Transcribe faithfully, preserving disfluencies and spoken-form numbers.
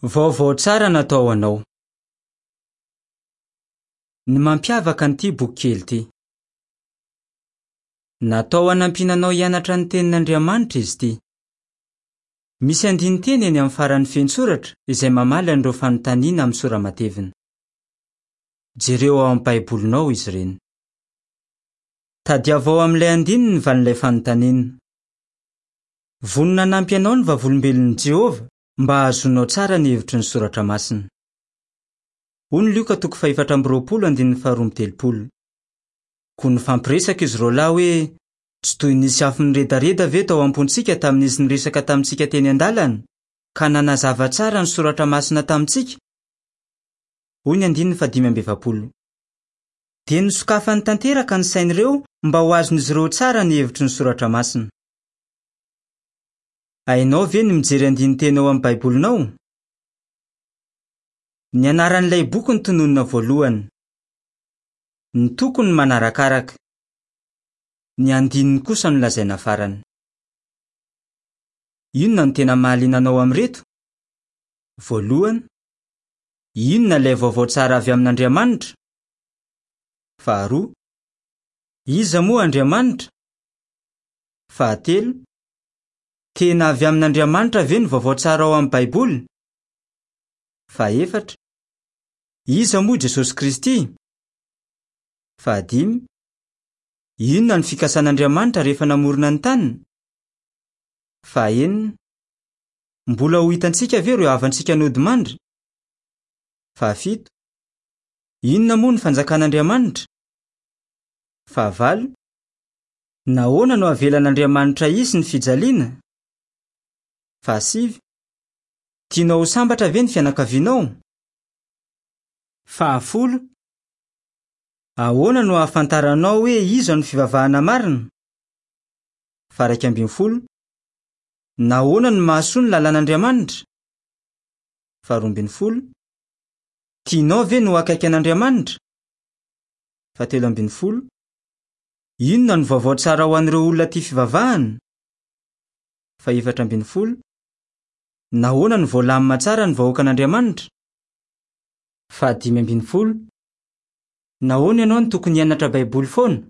Vaovao tsara natao ho anao. Ny mampiavaka an'ity boky kely ity. Natao hanampiana anao hianatra ny tenin'Andriamanitra izy ity. Misy andinin-teny eny amin'ny faran'ny fehintsoratra izay mamaly an'ireo fanontaniana amin'ny sora-matevina. Jereo ao amin'ny Baibolinao izy ireny. Tadiavo ao amin'ilay andininy ny valin'ilay fanontaniana. Vonona hanampy anao ny Vavolombelon'i Jehovah mba hahazoanao tsara ny hevitry ny soratra masina. Hoy ny Lioka toko fahefatra amby roapolo andininy faharoa amby telopolo. Koa nifampiresaka izy roa lahy hoe tsy toy nisy afo niredareda ve tao am-pontsika tamin'izy niresaka tamintsika teny an-dalana ka nanazava tsara ny soratra masina tamintsika? Hoy ny andininy fahadimy amby efapolo. Dia nosokafany tanteraka ny sain'ireo mba ho azon'izy ireo tsara ny hevitry ny soratra masina. Hainao ve ny mijery andinin-teny ao amin'ny Baibolinao? Ny anaran'ilay boky no tononina voalohany. Ny toko no manarakaraka. Ny andininy kosa no lazaina farany. Inona no tena mahaliana anao amin'ireto? Voalohany, inona ilay vaovao tsara avy amin'Andriamanitra? Faharoa, iza moa Andriamanitra? Fahatelo, tena avy amin'Andriamanitra ve ny vaovao tsara ao amin'ny Baiboly? Fahefatra, iza moa Jesosy Kristy? Fahadimy, inona ny fikasan'Andriamanitra rehefa namorona ny tany? Fahenina, mbola ho hitantsika ve ireo havantsika nodimandry? Fahafito, inona moa ny fanjakan'Andriamanitra? Fahavalo, nahoana no avelan'Andriamanitra hisy ny fijaliana? Fahasivy, tianao ho sambatra ve ny fianakavianao? Fahafolo, ahoana no ahafantaranao hoe iza no fivavahana marina? Faha-iraika ambin'ny folo, nahoana no mahasoa ny lalàn'Andriamanitra? Faharoa ambin'ny folo, tianao ve ny ho akaiky an'Andriamanitra? Fahatelo ambin'ny folo, inona no vaovao tsara ho an'ireo olona tia fivavahana? Fahefatra ambin'ny folo, nahoana no voalamina tsara ny vahoakan'Andriamanitra? Fahadimy ambin'ny folo, nahoana ianao no tokony hianatra Baiboly foana?